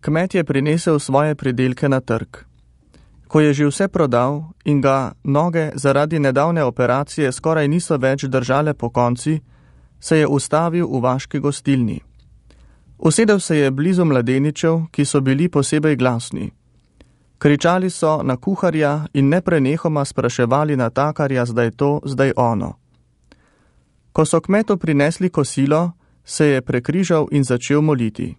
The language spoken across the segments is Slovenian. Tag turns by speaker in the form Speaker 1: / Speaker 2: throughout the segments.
Speaker 1: Kmet je prinesel svoje pridelke na trg. Ko je že vse prodal in ga noge zaradi nedavne operacije skoraj niso več držale pokonci, se je ustavil v vaški gostilni. Usedel se je blizu mladeničev, ki so bili posebej glasni. Kričali so na kuharja in neprenehoma spraševali natakarja, zdaj to, zdaj ono. Ko so kmetu prinesli kosilo, se je prekrižal in začel moliti.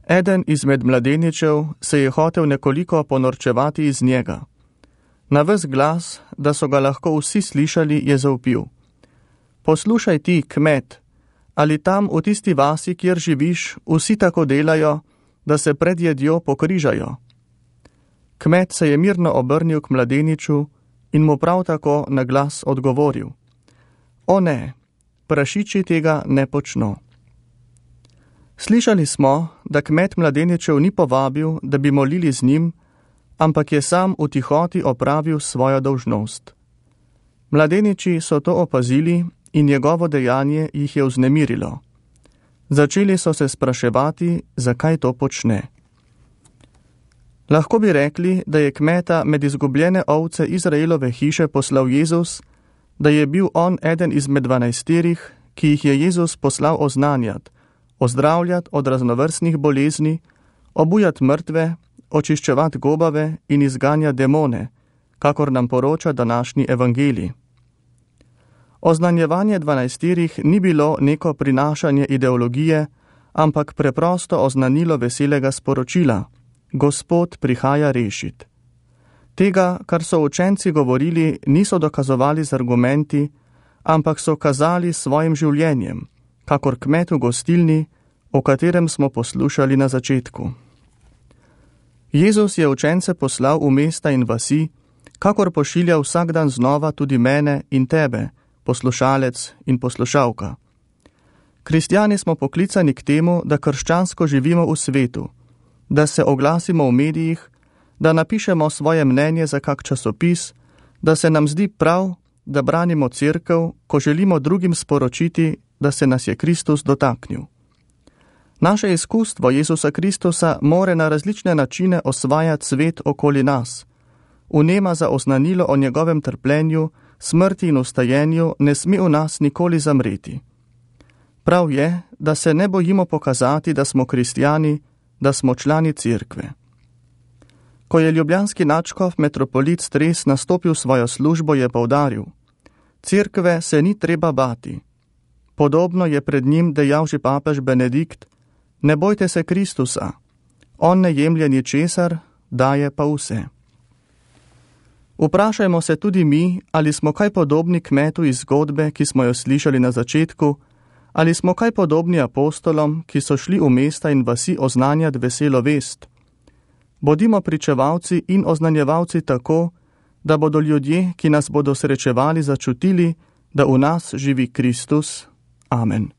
Speaker 1: Eden izmed mladeničev se je hotel nekoliko ponorčevati iz njega. Na ves glas, da so ga lahko vsi slišali, je zavpil: Poslušaj ti, kmet, ali tam v tisti vasi, kjer živiš, vsi tako delajo, da se pred jedjo pokrižajo? Kmet se je mirno obrnil k mladeniču in mu prav tako na glas odgovoril: O ne, prašiči tega ne počno. Slišali smo, da kmet mladeničev ni povabil, da bi molili z njim, ampak je sam v tihoti opravil svojo dolžnost. Mladeniči so to opazili in njegovo dejanje jih je vznemirilo. Začeli so se spraševati, zakaj to počne. Lahko bi rekli, da je kmeta med izgubljene ovce Izraelove hiše poslal Jezus, da je bil on eden izmed 12, ki jih je Jezus poslal oznanjati, ozdravljati od raznovrstnih bolezni, obujati mrtve, očiščevati gobave in izganjati demone, kakor nam poroča današnji evangelij. Oznanjevanje 12 ni bilo neko prinašanje ideologije, ampak preprosto oznanilo veselega sporočila: Gospod prihaja rešit. Tega, kar so učenci govorili, niso dokazovali z argumenti, ampak so kazali svojim življenjem, kakor kmet v gostilni, o katerem smo poslušali na začetku. Jezus je učence poslal v mesta in vasi, kakor pošilja vsak dan znova tudi mene in tebe, poslušalec in poslušalka. Kristjani smo poklicani k temu, da krščansko živimo v svetu, da se oglasimo v medijih, da napišemo svoje mnenje za kak časopis, da se nam zdi prav, da branimo cerkev, ko želimo drugim sporočiti, da se nas je Kristus dotaknil. Naše izkustvo Jezusa Kristusa more na različne načine osvajati svet okoli nas. Vnema za oznanilo o njegovem trpljenju, smrti in vstajenju ne sme v nas nikoli zamreti. Prav je, da se ne bojimo pokazati, da smo kristjani, da smo člani cerkve. Ko je ljubljanski nadškof metropolit Stres nastopil svojo službo, je poudaril: Cerkve se ni treba bati. Podobno je pred njim dejal že papež Benedikt: Ne bojte se Kristusa, on ne jemlje ničesar, daje pa vse. Vprašajmo se tudi mi, ali smo kaj podobni kmetu iz zgodbe, ki smo jo slišali na začetku, ali smo kaj podobni apostolom, ki so šli v mesta in vasi oznanjati veselo vest. Bodimo pričevalci in oznanjevalci tako, da bodo ljudje, ki nas bodo srečevali, začutili, da v nas živi Kristus. Amen.